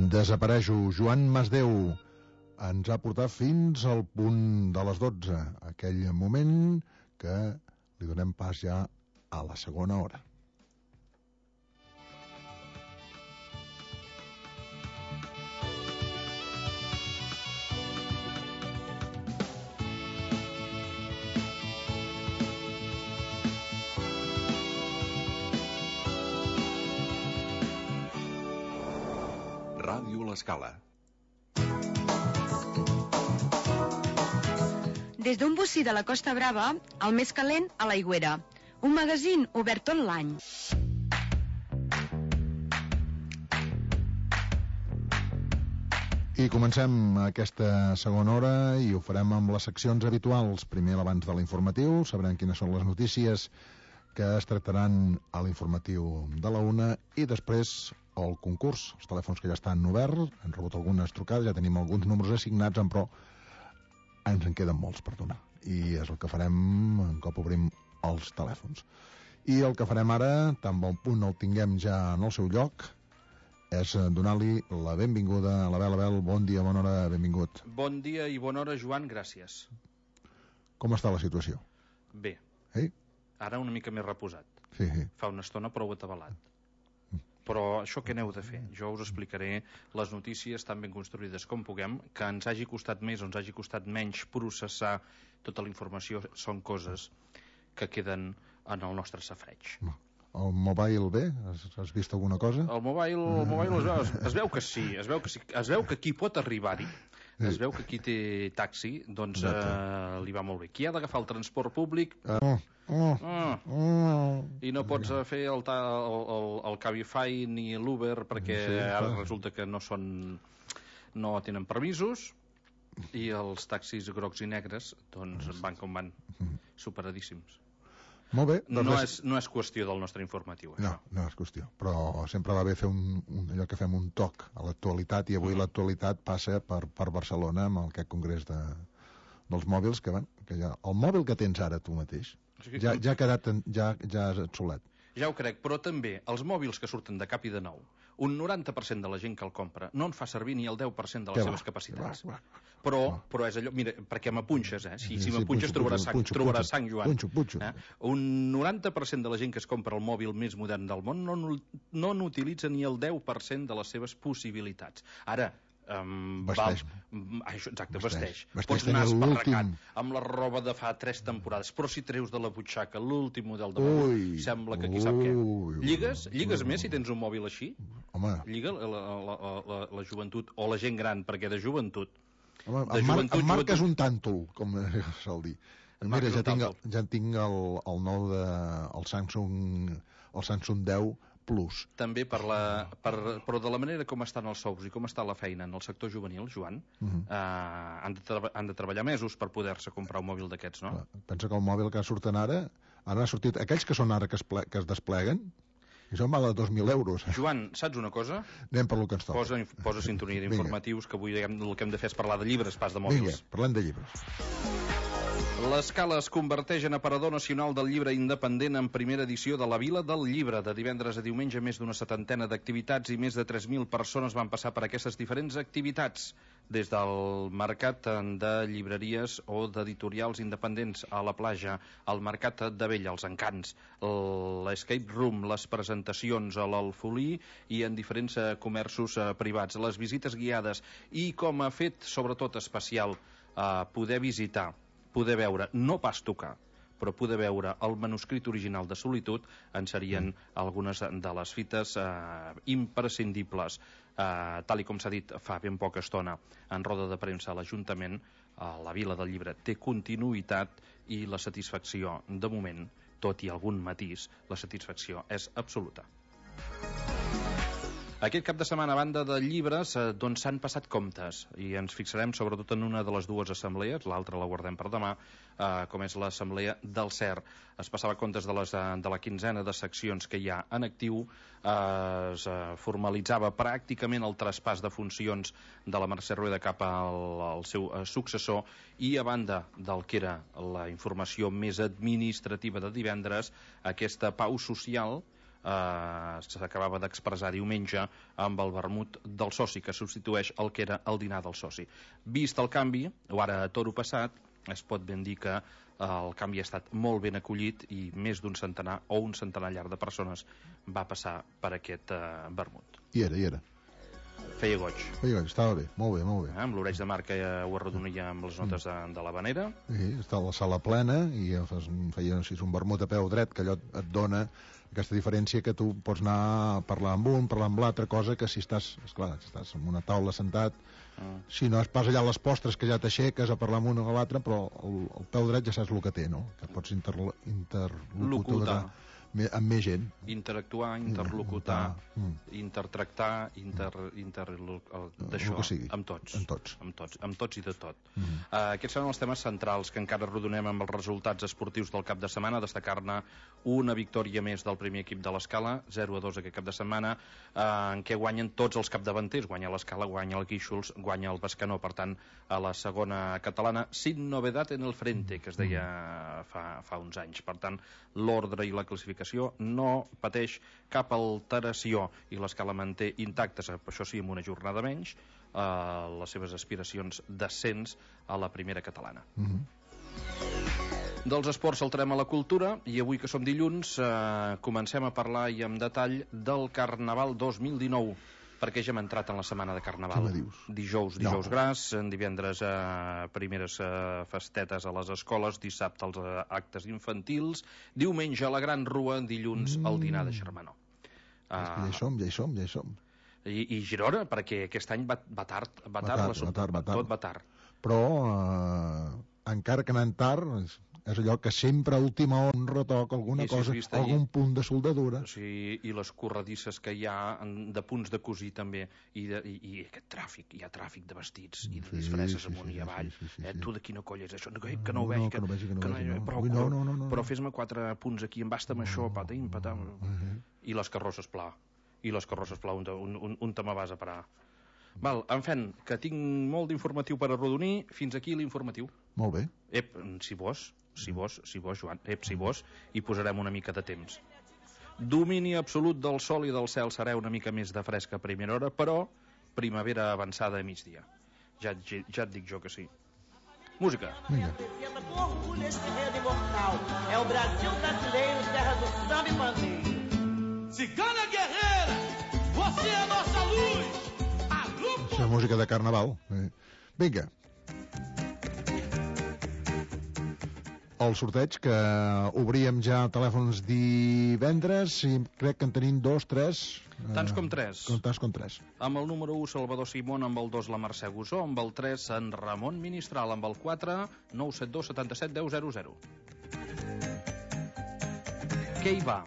Desapareixo. Joan Masdeu ens ha portat fins al punt de les 12, aquell moment que li donem pas ja a la segona hora. Ràdio L'Escala. Des d'un bocí de la Costa Brava, el més calent a l'Aigüera. Un magazín obert tot l'any. I comencem aquesta segona hora i ho farem amb les seccions habituals. Primer, l'abans de l'informatiu, sabrem quines són les notícies que es tractaran a l'informatiu de la 1 i després el concurs, els telèfons que ja estan oberts, hem rebut algunes trucades, ja tenim alguns números assignats, però ens en queden molts per donar. I és el que farem un cop obrim els telèfons. I el que farem ara, tan bon punt el tinguem ja en el seu lloc, és donar-li la benvinguda a l'Abel. Bon dia, bona hora, benvingut. Bon dia i bona hora, Joan, gràcies. Com està la situació? Bé. Ara una mica més reposat. Sí. Fa una estona prou atabalat. Però això què aneu de fer? Jo us explicaré les notícies tan ben construïdes com puguem, que ens hagi costat més o ens hagi costat menys processar tota la informació, són coses que queden en el nostre safreig. El mobile bé? Has vist alguna cosa? El mobile es veu que sí, es veu que qui pot arribar-hi, es veu que qui té taxi, doncs li va molt bé. Qui ha d'agafar el transport públic i no pots fer el Cabify ni l'Uber perquè ara resulta que no tenen permisos, i els taxis grocs i negres doncs van com van, superadíssims. Molt bé, doncs no és qüestió del nostre informatiu, això. No és qüestió, però sempre va bé fer allò que fem un toc a l'actualitat, i avui l'actualitat passa per Barcelona amb aquest congrés dels mòbils que ja, el mòbil que tens ara tu mateix ja ha quedat ja obsolet. Ja ho crec, però també els mòbils que surten de cap i de nou, un 90% de la gent que el compra no en fa servir ni el 10% de les seves capacitats. Però és allò, mira, perquè m'apunxes, si m'apunxes trobaràs sang, Joan. Un 90% de la gent que es compra el mòbil més modern del món no n'utilitza ni el 10% de les seves possibilitats. Ara, vesteix. Pots anar esparracat amb la roba de fa 3 temporades, però si treus de la butxaca l'últim model de mòbil, sembla que qui sap què. Lligues més si tens un mòbil així? Lliga la joventut o la gent gran, perquè de joventut en marques un tàntol, com sol dir. Mira, ja tinc el nou el Samsung 10 Plus. També però de la manera com estan els sous i com està la feina en el sector juvenil, Joan, han de treballar mesos per poder-se comprar un mòbil d'aquests, no? Pensa que el mòbil que surten ara ha sortit, aquells que són ara que es despleguen, i són val a 2.000 euros. Joan, saps una cosa? Anem per lo que ens toca. Posa sintonia d'informatius, que avui el que hem de fer és parlar de llibres, pas de mòbils. Vinga, parlem de llibres. L'Escala es converteix en aparador nacional del llibre independent en primera edició de la Vila del Llibre. De divendres a diumenge, més d'una 70 d'activitats i més de 3.000 persones van passar per aquestes diferents activitats, des del mercat de llibreries o d'editorials independents a la platja, al mercat d'Abella, els encants, l'escape room, les presentacions a l'Alfolí i en diferents comerços privats, les visites guiades i, com a fet sobretot especial, poder visitar, poder veure, no pas tocar, però poder veure el manuscrit original de Solitud en serien algunes de les fites imprescindibles. Tal i com s'ha dit fa ben poca estona en roda de premsa a l'Ajuntament, la Vila del Llibre té continuïtat i la satisfacció, de moment, tot i algun matís, la satisfacció és absoluta. Aquest cap de setmana, a banda de llibres, doncs s'han passat comptes, i ens fixarem sobretot en una de les dues assemblees, l'altra la guardem per demà, com és l'assemblea del CER. Es passava comptes de la quinzena de seccions que hi ha en actiu, es formalitzava pràcticament el traspàs de funcions de la Mercè Rueda cap al seu successor, i a banda del que era la informació més administrativa de divendres, aquesta pau social s'acabava d'expressar diumenge amb el vermut del soci, que substitueix el que era el dinar del soci. Vist el canvi, o ara a toro passat, es pot ben dir que el canvi ha estat molt ben acollit i més d'un centenar o un centenar llarg de persones va passar per aquest vermut. I era. Feia goig. Estava bé, molt bé. Amb l'Oreig de Mar, que ho arredonia amb les notes de l'Havanera. Sí, està a la sala plena i feia un vermut a peu dret, que allò et dona aquesta diferència que tu pots anar a parlar amb un, parlar amb l'altre, cosa que si estàs, esclar, estàs en una taula sentat, si no es pas allà a les postres que ja t'aixeques a parlar amb un o l'altre, però el peu dret ja saps el que té, no? Que pots interlocutar amb més gent. Interactuar, interlocutar, intertractar, d'això, amb tots i de tot. Aquests són els temes centrals que encara rodonem amb els resultats esportius del cap de setmana. Destacar-ne una victòria més del primer equip de l'Escala, 0-2 aquest cap de setmana, en què guanyen tots els capdavanters. Guanya l'Escala, guanya el Guíxols, guanya el Bescanó. Per tant, a la segona catalana, sin novedad en el frente, que es deia fa uns anys. Per tant, l'ordre i la classificació no pateix cap alteració i l'Escala manté intactes, això sí, amb una jornada menys, les seves aspiracions d'ascens a la primera catalana. Dels esports saltarem a la cultura i avui, que som dilluns, comencem a parlar i amb detall del Carnaval 2019, perquè ja hem entrat en la setmana de Carnaval. Què me dius? Dijous gras, divendres primeres festetes a les escoles, dissabte els actes infantils, diumenge la Gran Rua, dilluns el dinar de Xermanó. Ja hi som. I Girona, perquè aquest any va tard, tot va tard. Però encara que anant tard, és allò que sempre a última hora retoca alguna cosa, algun punt de soldadura. Sí, i les corredisses que hi ha de punts de cosir també, i aquest tràfic, hi ha tràfic de vestits i de disfresses amunt i avall. Tu de quina colla és això? Que no ho vegi, però fes-me 4 punts aquí, embasta'm això, patim, patam. I les carrosses pla, un te me vas a parar. Val, en fi, que tinc molt d'informatiu per arrodonir. Fins aquí l'informatiu. Molt bé. Si vos, Joan, si vos, hi posarem una mica de temps. Domini absolut del sol i del cel, serà una mica més de fresca a primera hora, però primavera avançada a migdia. Ja et dic jo que sí. Música. Vinga. É o Brasil brasileiro, terra do samba e pandeiro. Cigana guerreira, você é a nossa luz. Això és música de Carnaval. Vinga. El sorteig, que obríem ja telèfons divendres, i crec que en tenim 2, 3... Tants com 3. Tants com 3. Amb el número 1, Salvador Simón, amb el 2, la Mercè Gusó, amb el 3, en Ramon Ministral, amb el 4, 972 77 10 00. Què hi va?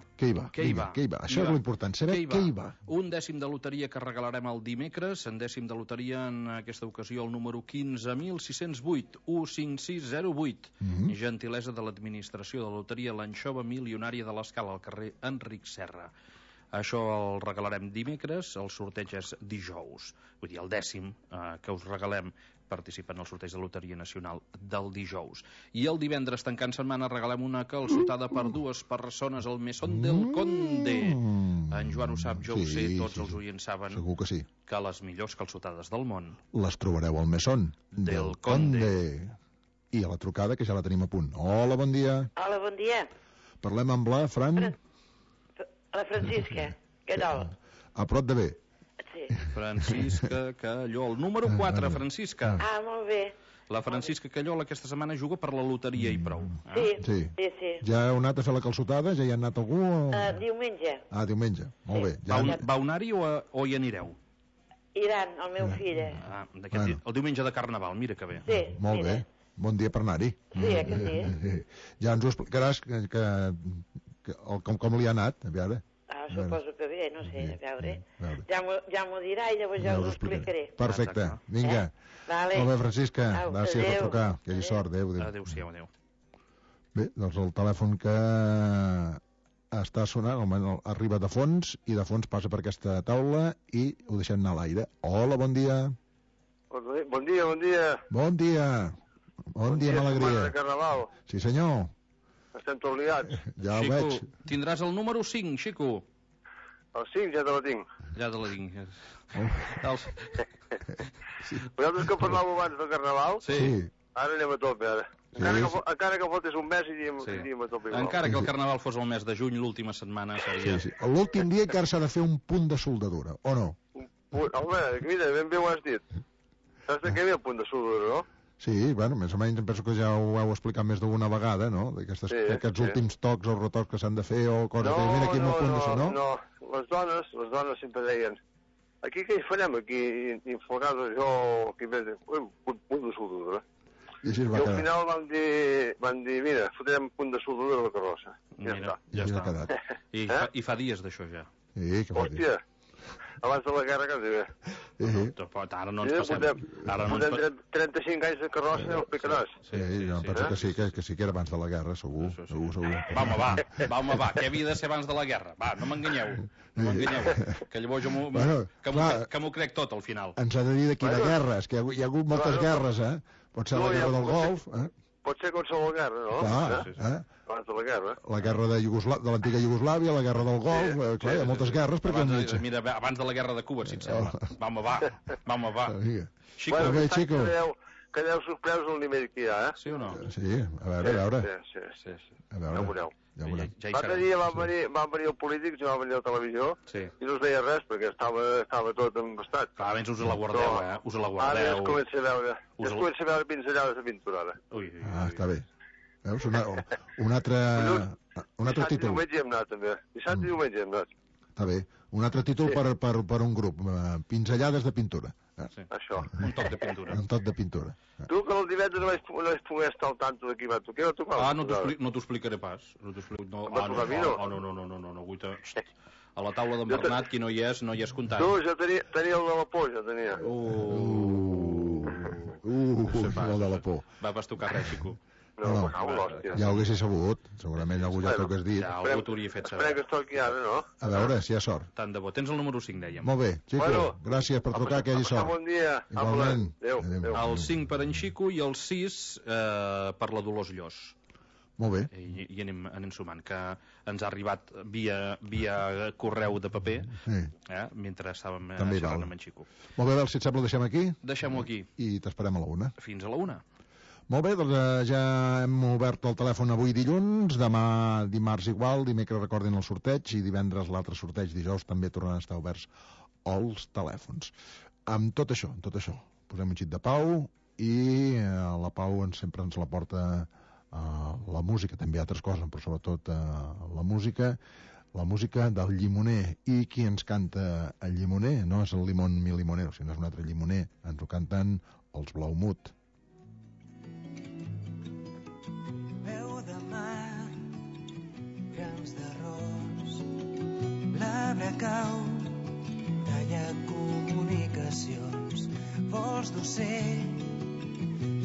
Això és l'important, saber què hi va. Un dècim de loteria que regalarem el dimecres, en dècim de loteria, en aquesta ocasió, el número 15.608, 15608. Gentilesa de l'administració de loteria L'Anxova Milionària de l'Escala, al carrer Enric Serra. Això el regalarem dimecres, el sorteig és dijous. Vull dir, el dècim que us regalem participa en el sorteig de Loteria Nacional del dijous. I el divendres, tancant setmana, regalem una calçotada per 2 persones al Mesón del Conde. En Joan ho sap, jo ho sé, tots els oients saben segur que sí, que les millors calçotades del món les trobareu al Mesón del Conde. I a la trucada, que ja la tenim a punt. Hola, bon dia. Hola, bon dia. Parlem amb la Fran? La Francisca, què tal? A prop de bé. Sí. Francisca Calló, el número 4, Francisca. Molt bé. La Francisca Calló aquesta setmana juga per la loteria i prou. Sí. Ja heu anat a fer la calçotada? Ja hi ha anat algú? Diumenge. Diumenge, molt bé. Va anar-hi o hi anireu? Iran, el meu fill. El diumenge de Carnaval, mira que bé. Sí. Molt bé, bon dia per anar-hi. Sí, que sí. Ja ens ho explicaràs com li ha anat, a veure. Suposo que bé, no sé, a veure. Ja m'ho dirà i llavors ja us ho explicaré. Perfecte, vinga. Molt bé, Francisca, gràcies per trucar. Que hi sort, adéu. Adéu. Bé, doncs el telèfon que està sonant, arriba de fons, i de fons passa per aquesta taula i ho deixem anar a l'aire. Hola, bon dia. Bon dia. Bon dia, amb alegria. De Carnaval. Sí, senyor. Estem tot liats. Ja ho veig. Tindràs el número 5, Xico. El 5 ja te la tinc. Ja te la tinc. Vosaltres que parlàveu abans del Carnaval, Sí. ara anem a tope, ara. Encara que faltés un mes i anem a tope igual. Encara que el Carnaval fos el mes de juny, l'última setmana seria... Sí. L'últim dia encara s'ha de fer un punt de soldadura, o no? Home, mira, ben bé ho has dit. Saps de què ve el punt de soldadura, no? Sí, bueno, més o menys em penso que ja ho heu explicat més d'una vegada, no? D'aquests últims tocs o retocs que s'han de fer o coses que mira aquí amb el punt de soldadura, no? No, les dones sempre deien aquí què hi farem, aquí inflagades jo, aquí més un punt de soldadura. I al final van dir mira, fotrem punt de soldadura a la carrossa. Ja està. I fa dies d'això ja. Sí, que fa dies. Hòstia, abans de la guerra quasi bé. Ara no ens passem. Portem 35 anys de carrossa i els picaràs. Sí, jo penso que sí que era abans de la guerra, segur. Va, home, va, què havia de ser abans de la guerra? Va, no m'enganyeu, que llavors jo m'ho crec tot al final. Ens ha de dir de quina guerra, és que hi ha hagut moltes guerres, Pot ser la guerra del Golf, Pot ser qualsevol guerra, no? Clar, abans de la guerra. La guerra de l'antiga Iugoslàvia, la guerra del Golf, clar, hi ha moltes guerres perquè mira, abans de la guerra de Cuba, si et sembla. Va. Xico. Quedeu sorpresos el nivell que hi ha, Sí o no? Sí, a veure. Sí. A veure. Ja ho veureu. L'altre dia van venir els polítics, va venir a la televisió, i no es veia res, perquè estava tot embastat. Clar, abans us la guardeu, us la guardeu. Ara es comença a veure pinzellades de pintura, ara. Està bé. Veus? Un altre Dissabte i títol. diumenge hi hem anat, també. Dissabte i diumenge hi hem anat. Està bé. Un altre títol per un grup. Pinzellades de pintura. Això. Un toc de pintura. Un toc de pintura. Tu, que el divendres no vaig poder estar al tanto de qui va tocar. Què va tocar? No t'ho explicaré pas. No, a la taula d'en Bernat, qui no hi és comptant. Tu, jo tenia el de la por, jo tenia. El de la por. Va pas tocar res, Xico. No, ja ho haguessis sabut. Segurament algú ja t'ho hagués dit. Ja algú t'ho hauria fet saber. Esperem que es toqui ara, no? A veure, si hi ha sort. Tant de bo. Tens el número 5, dèiem. Molt bé, Xico, gràcies per trucar, que hi hagi sort. Bon dia. Igualment. Adéu. El 5 per en Xico i el 6 per la Dolors Llos. Molt bé. I anem sumant, que ens ha arribat via correu de paper, mentre estàvem xerrant amb en Xico. Molt bé, si et sembla, deixem aquí. Deixem-ho aquí. I t'esperem a la 1. Fins a la 1. Molt bé, doncs ja hem obert el telèfon avui dilluns, demà dimarts igual, dimecres recordin el sorteig i divendres l'altre sorteig, dijous també tornaran a estar oberts els telèfons. Amb tot això, posem un xit de pau i la pau sempre ens la porta la música, també altres coses, però sobretot la música del Llimoner. I qui ens canta el Llimoner? No és el Limón mi limonero, sinó és un altre Llimoner. Ens ho canten els Blaumut. L'arbre cau, talla comunicacions, vols d'ocell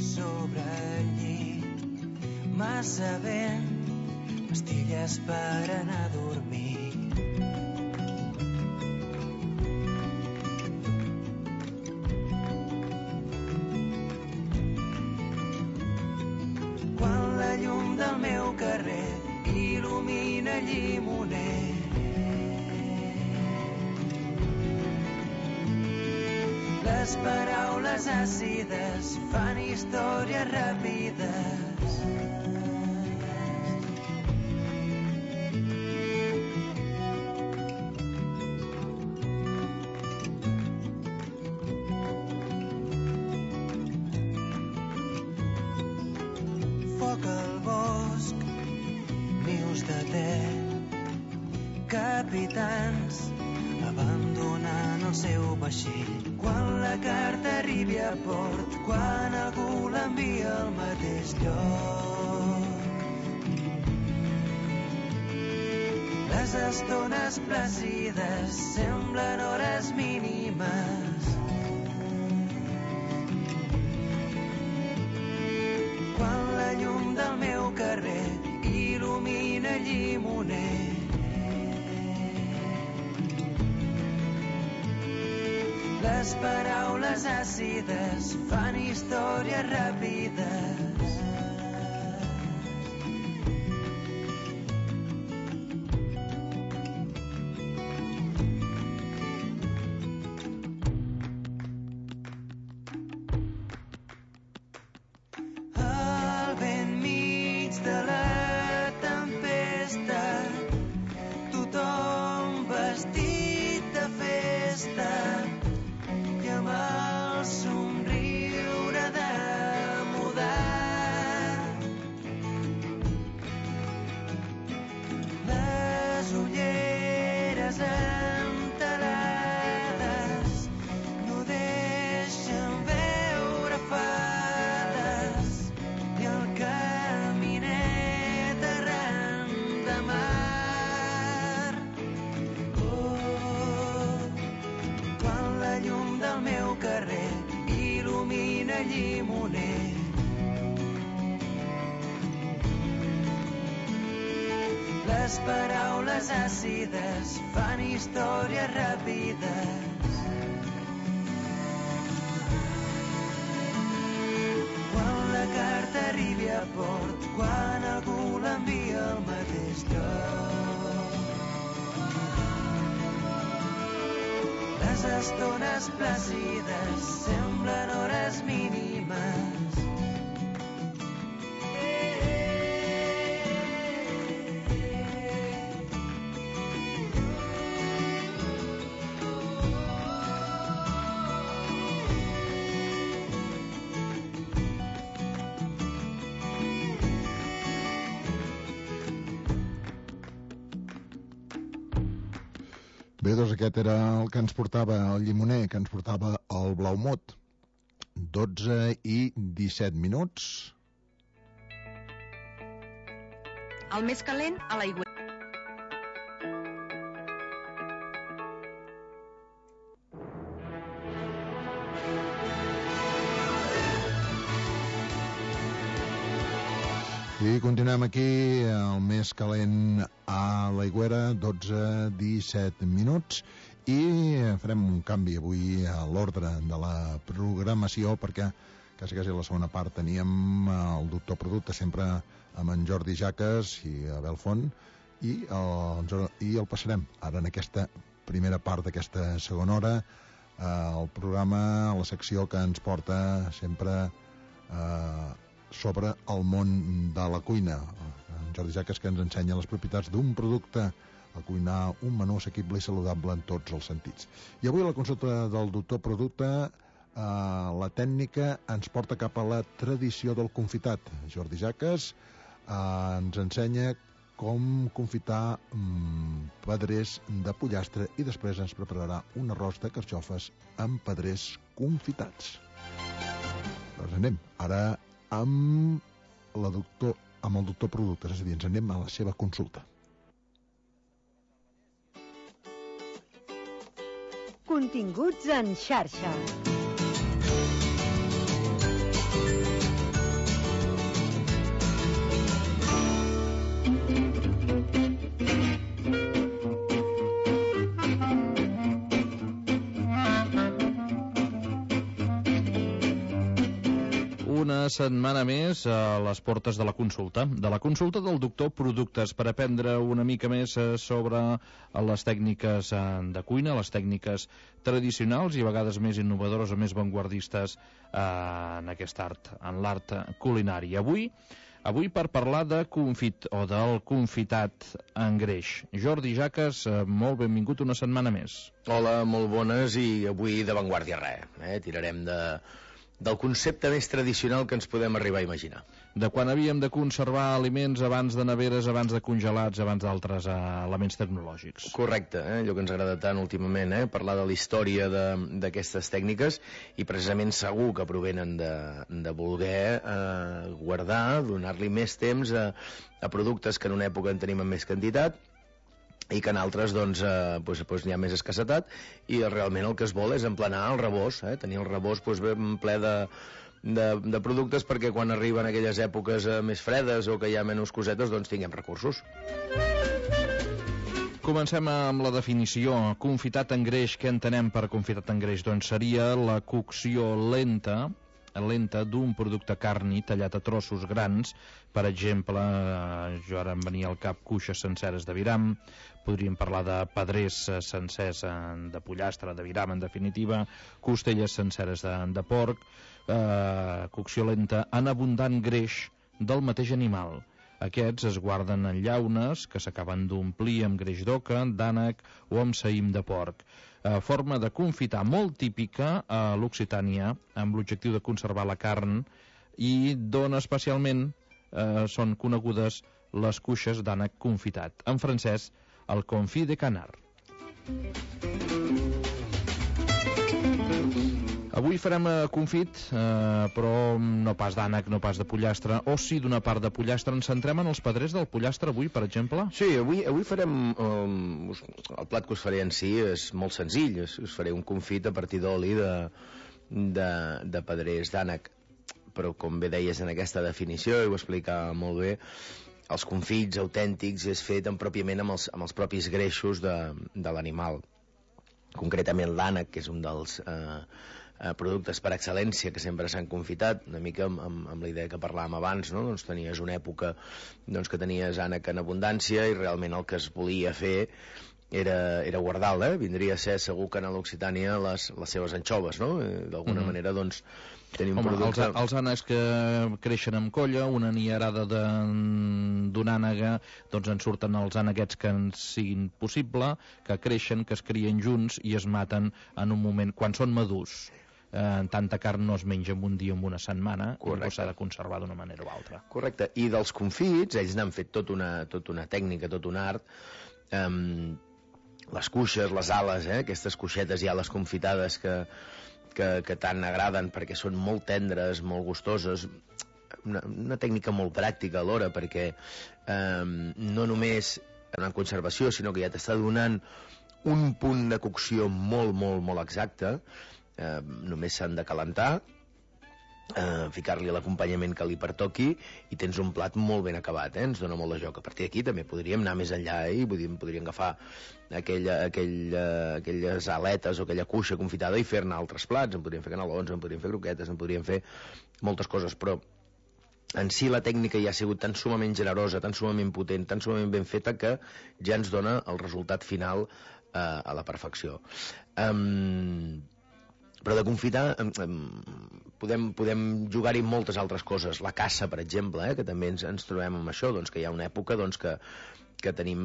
sobre el llit, massa vent, pastilles per anar a dormir. Quan la llum del meu carrer il·lumina el Llimoner, les paraules àcides fan històries ràpides. Foc al bosc, nius de te, capitans abandonant el seu vaixell. Quan la carta arribi a port, quan algú l'envia al mateix lloc. Les estones plàcides semblen hores mínimes. Quan la llum del meu carrer il·lumina el Llimoner, les paraules àcides fan històries ràpides. llimoner. Les paraules àcides fan històries ràpides. Quan la carta arribi a port, quan algú l'envia al mateix lloc. Les estones plàcides semblen hores mínimes. Bé, doncs aquest era el que ens portava el llimoner, que ens portava el Blaumut. 12:17. El més calent a l'aigüera. I continuem aquí, el més calent a l'aigüera, 12:17, i farem un canvi avui a l'ordre de la programació, perquè quasi a la segona part teníem el doctor Producte, sempre amb en Jordi Jaques i Abel Font, i el passarem ara en aquesta primera part d'aquesta segona hora, el programa, la secció que ens porta sempre sobre el món de la cuina. En Jordi Jaques, que ens ensenya les propietats d'un producte, a cuinar un menú assequible i saludable en tots els sentits. I avui a la consulta del doctor Producte, la tècnica ens porta cap a la tradició del confitat. Jordi Jaques ens ensenya com confitar pedrers de pollastre i després ens prepararà un arròs de carxofes amb pedrers confitats. Doncs anem ara amb el doctor Productes, és a dir, ens anem a la seva consulta. Continguts en xarxa. Una setmana més a les portes de la consulta del doctor Productes, per aprendre una mica més sobre les tècniques de cuina, les tècniques tradicionals i a vegades més innovadores o més vanguardistes en aquest art, en l'art culinari. Avui per parlar de confit o del confitat en greix. Jordi Jaques, molt benvingut una setmana més. Hola, molt bones, i avui de vanguardia res. Tirarem del concepte més tradicional que ens podem arribar a imaginar. De quan havíem de conservar aliments abans de neveres, abans de congelats, abans d'altres elements tecnològics. Correcte, allò que ens agrada tant últimament, parlar de la història d'aquestes tècniques, i precisament segur que provenen de voler guardar, donar-li més temps a productes que en una època en tenim en més quantitat, i que en altres doncs n'hi ha més escassetat, i realment el que es vol és emplenar el rebost, tenir el rebost ben ple de productes, perquè quan arriben aquelles èpoques més fredes o que hi ha menys cosetes, doncs tinguem recursos. Comencem amb la definició. Confitat en greix, què entenem per confitat en greix? Doncs seria la cocció lenta d'un producte carni tallat a trossos grans. Per exemple, jo ara em venia al cap cuixes senceres d'aviram, podríem parlar de pedrers sencers de pollastre, d'aviram en definitiva, costelles senceres de porc, cocció lenta en abundant greix del mateix animal. Aquests es guarden en llaunes que s'acaben d'omplir amb greix d'oca, d'ànec o amb saïm de porc. Forma de confitar molt típica a l'Occitània, amb l'objectiu de conservar la carn, i d'on especialment són conegudes les cuixes d'ànec confitat. En francès, el confit de canard. Avui farem confit, però no pas d'ànec, no pas de pollastre, o sí d'una part de pollastre. Ens centrem en els pedrers del pollastre avui, per exemple? Sí, avui farem... el plat que us faré en si és molt senzill. Us faré un confit a partir d'oli de pedrers d'ànec però com bé deies en aquesta definició, i ho explica molt bé, els confits autèntics és fet pròpiament amb els propis greixos de l'animal. Concretament l'ànec, que és un dels productes per excel·lència que sempre s'han confitat, una mica amb la idea que parlàvem abans, no? Doncs tenies una època que tenies ànec en abundància i realment el que es volia fer era guardar-la, vindria a ser segur que a l'Occitània les seves anxoves, no? D'alguna manera, doncs, tenir un producte... Els ànecs que creixen amb colla, una niarada d'una ànega, doncs en surten els àneguets que en siguin possible, que creixen, que es crien junts i es maten en un moment, quan són madurs. Tanta carn no es menja en un dia o en una setmana, i s'ha de conservar d'una manera o altra. Correcte, i dels confits, ells n'han fet tot una tècnica, tot un art. Les cuixes, les ales, aquestes cuixetes i ales confitades que tant agraden perquè són molt tendres, molt gustoses, una tècnica molt pràctica alhora, perquè no només en conservació, sinó que ja t'està donant un punt de cocció molt, molt, molt exacte. Només s'han de calentar, ficar-li l'acompanyament que li pertoqui i tens un plat molt ben acabat, ens dona molt de joc. A partir d'aquí també podríem anar més enllà i podríem agafar aquelles aletes o aquella cuixa confitada i fer-ne altres plats. En podríem fer canelons, en podríem fer croquetes, en podríem fer moltes coses, però en si la tècnica ja ha sigut tan sumament generosa, tan sumament potent, tan sumament ben feta, que ja ens dona el resultat final a la perfecció. Però de confitar podem jugar-hi moltes altres coses. La caça, per exemple, que també ens trobem amb això, doncs, que hi ha una època que tenim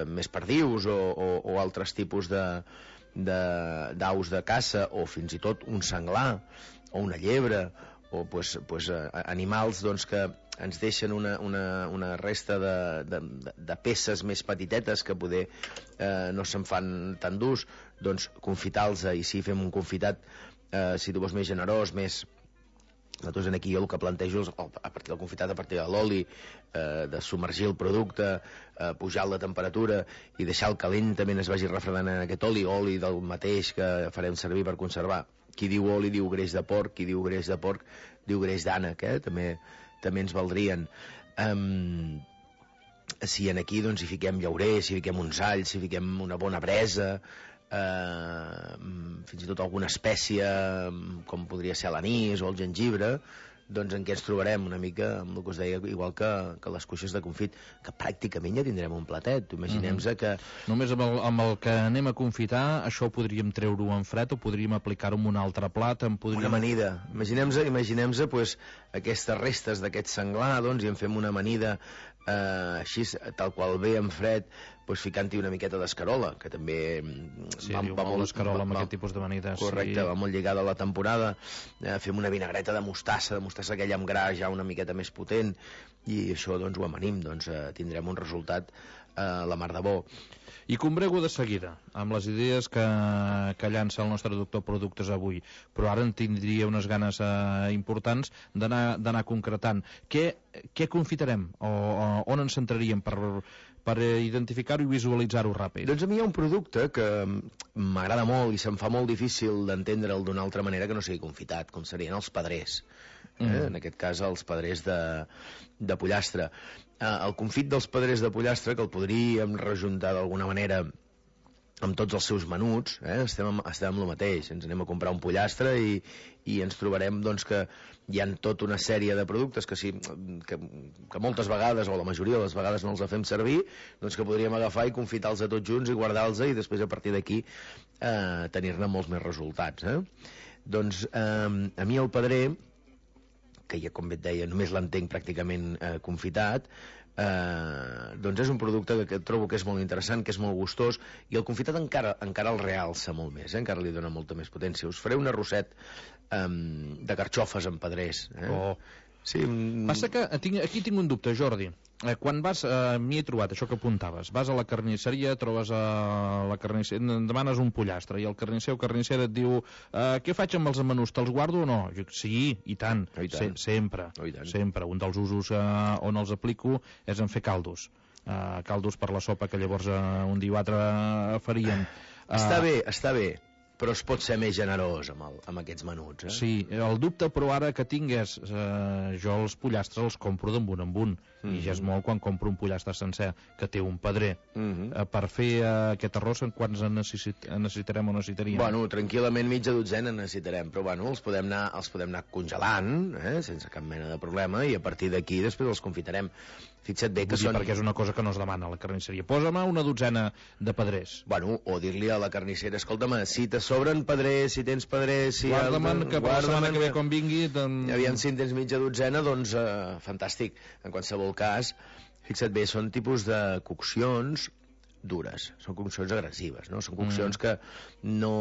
més perdius o altres tipus d'aus de caça, o fins i tot un senglar o una llebre, o animals que ens deixen una resta de peces més petitetes que poder no se'n fan tan durs, doncs confitar-los, i si fem un confitat, si tu vols més generós, més... Nosaltres aquí jo el que plantejo és, a partir del confitat, a partir de l'oli, de submergir el producte, pujar la temperatura i deixar el que lentament es vagi refredant en aquest oli del mateix que farem servir per conservar. Qui diu oli diu greix de porc, qui diu greix de porc diu greix d'ànec, també ens valdrien. Si en aquí doncs hi fiquem llaurer, si hi fiquem uns alls, si hi fiquem una bona bresa, fins i tot alguna espècie com podria ser l'anís o el gengibre, doncs en què ens trobarem una mica amb el que us deia, igual que les cuixes de confit, que pràcticament ja tindrem un platet. Imaginem-se que... Només amb el que anem a confitar, això ho podríem treure-ho en fred o podríem aplicar-ho en un altre plat. Una amanida. Imaginem-se aquestes restes d'aquest senglar, doncs, i en fem una amanida així, tal qual ve en fred, ficant-hi una miqueta d'escarola, que també va molt d'escarola amb aquest tipus d'amanides. Correcte, va molt lligada a la temporada. Fem una vinagreta de mostassa aquella amb gra ja una miqueta més potent, i això doncs ho amanim, tindrem un resultat la mar de bo. I combrego de seguida, amb les idees que llança el nostre doctor Productes avui, però ara en tindria unes ganes importants d'anar concretant. Què confitarem? On ens centraríem per identificar-ho i visualitzar-ho ràpid? Doncs a mi hi ha un producte que m'agrada molt i se'm fa molt difícil d'entendre'l d'una altra manera que no sigui confitat, com serien els pedrers. En aquest cas els pedrers de pollastre. El confit dels pedrers de pollastre, que el podríem rejuntar d'alguna manera amb tots els seus menuts, estem amb el mateix. Ens anem a comprar un pollastre i ens trobarem que hi ha tota una sèrie de productes que moltes vegades, o la majoria de les vegades no els fem servir, doncs que podríem agafar i confitar-los tots junts i guardar-los, i després a partir d'aquí tenir-ne molts més resultats. Doncs a mi el pedrer, que ja, com bé et deia, només l'entenc pràcticament confitat, doncs és un producte que trobo que és molt interessant, que és molt gustós, i el confitat encara el realça molt més, encara li dona molta més potència. Us faré un arrosset de carxofes amb pedrers. Sí. Passa que aquí tinc un dubte, Jordi. Quan vas, m'hi he trobat això que apuntaves, vas a la carnisseria, trobes a la carnisseria, demanes un pollastre, i el carnisser o carnissera et diu què faig amb els menús, te'ls guardo o no? Sí, i tant. Sempre. Un dels usos on els aplico és en fer caldos per la sopa que llavors un dia o altre faríem. Està bé, però es pot ser més generós amb aquests menuts. Sí, el dubte però ara que tinc és jo els pollastres els compro d'en un i ja és molt quan compro un pollastre sencer que té un pedrer. Per fer aquest arròs quants necessitarem o necessitaríem? Bueno, tranquil·lament mitja dotzena necessitarem, però bueno, els podem anar congelant sense cap mena de problema, i a partir d'aquí després els confitarem. Fixa't bé que són... Perquè és una cosa que no es demana a la carnisseria. Posa'm una dotzena de pedrers. Bueno, o dir-li a la carnissera, escolta'm, si te sobren pedrers, si tens pedrers... Guarda-me'n que per la setmana que ve com vingui... Aviam, si en tens mitja dotzena, doncs fantàstic. En qualsevol cas, fixa't bé, són tipus de coccions dures, són coccions agressives, no? Són coccions que no...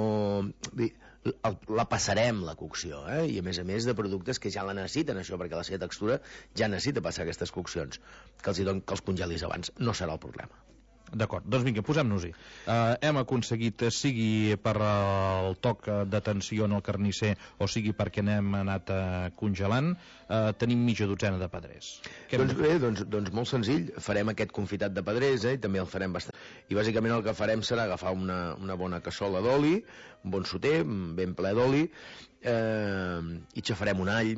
la passarem, la cocció, i a més de productes que ja la necessiten, això, perquè la seva textura ja necessita passar aquestes coccions. Que els congelis abans no serà el problema. D'acord, doncs vinga, posem-nos-hi. Hem aconseguit, sigui per el toc d'atenció en el carnisser o sigui perquè n'hem anat congelant, tenim mitja dotzena de pedrers. Doncs bé, doncs molt senzill, farem aquest confitat de pedrers, i també el farem bastant. I bàsicament el que farem serà agafar una bona cassola d'oli, un bon soter, ben ple d'oli, i xafarem un all,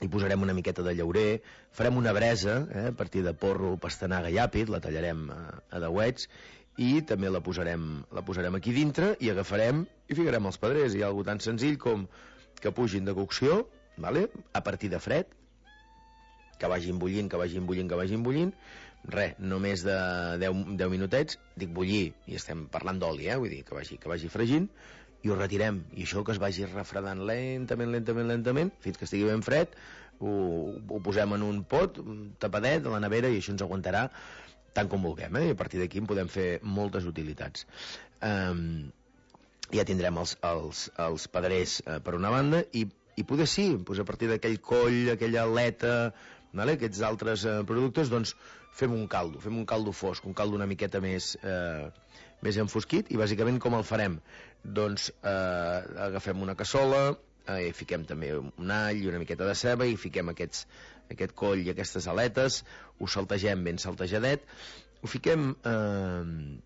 hi posarem una miqueta de llaurer, farem una bresa, a partir de porro, pastanaga i àpid, la tallarem a dauets, i també la posarem aquí dintre, i agafarem i ficarem els pedrers. Hi ha alguna tan senzill com que pugin de cocció, a partir de fred, que vagin bullint, res, no més de 10 minutets, dic bullir, i estem parlant d'oli, vull dir, que vagi fregint, i ho retirem, i això que es vagi refredant lentament, fins que estigui ben fred, ho posem en un pot tapadet a la nevera, i això ens aguantarà tant com vulguem, i a partir d'aquí en podem fer moltes utilitats. Ja tindrem els pedrers per una banda, i poder sí, a partir d'aquell coll, aquella aleta, aquests altres productes, doncs fem un caldo fosc, un caldo una miqueta més enfosquit, i bàsicament com el farem? Doncs agafem una cassola, hi fiquem també un all i una miqueta de ceba, i fiquem aquest coll i aquestes aletes, ho saltegem ben saltejadet, ho fiquem en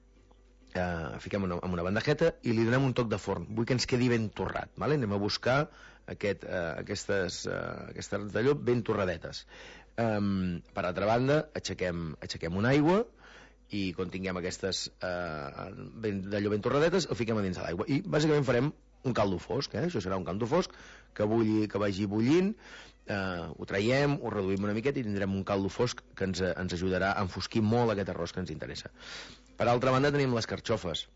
una bandejeta i li donem un toc de forn. Vull que ens quedi ben torrat, anem a buscar aquestes d'allò ben torradetes. Per altra banda, aixequem una aigua, i quan tinguem aquestes d'allò ben torradetes, el fiquem a dins de l'aigua, i bàsicament farem un caldo fosc, això serà un caldo fosc que vagi bullint, ho traiem, ho reduïm una miqueta i tindrem un caldo fosc que ens ajudarà a enfosquir molt aquest arròs que ens interessa. Per altra banda tenim les carxofes.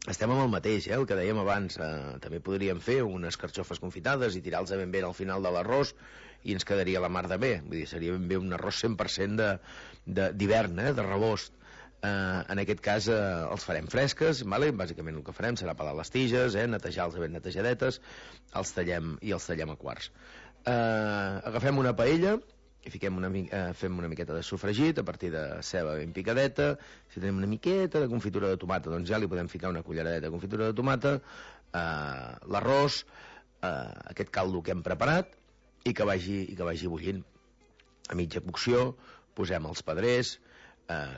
Estem amb el mateix, el que dèiem abans, també podríem fer unes carxofes confitades i tirar-los ben bé al final de l'arròs, i ens quedaria la mar de bé, vull dir, seria ben bé un arròs 100% d'hivern, de rebost. En aquest cas els farem fresques, bàsicament el que farem serà pelar les tiges, netejar-les ben netejadetes, els tallem a quarts. Agafem una paella i fem una miqueta de sofregit a partir de ceba ben picadeta. Si tenim una miqueta de confitura de tomata, doncs ja li podem ficar una culleradeta de confitura de tomata, l'arròs, aquest caldo que hem preparat, i que vagi bullint. A mitja cocció posem els pedrers,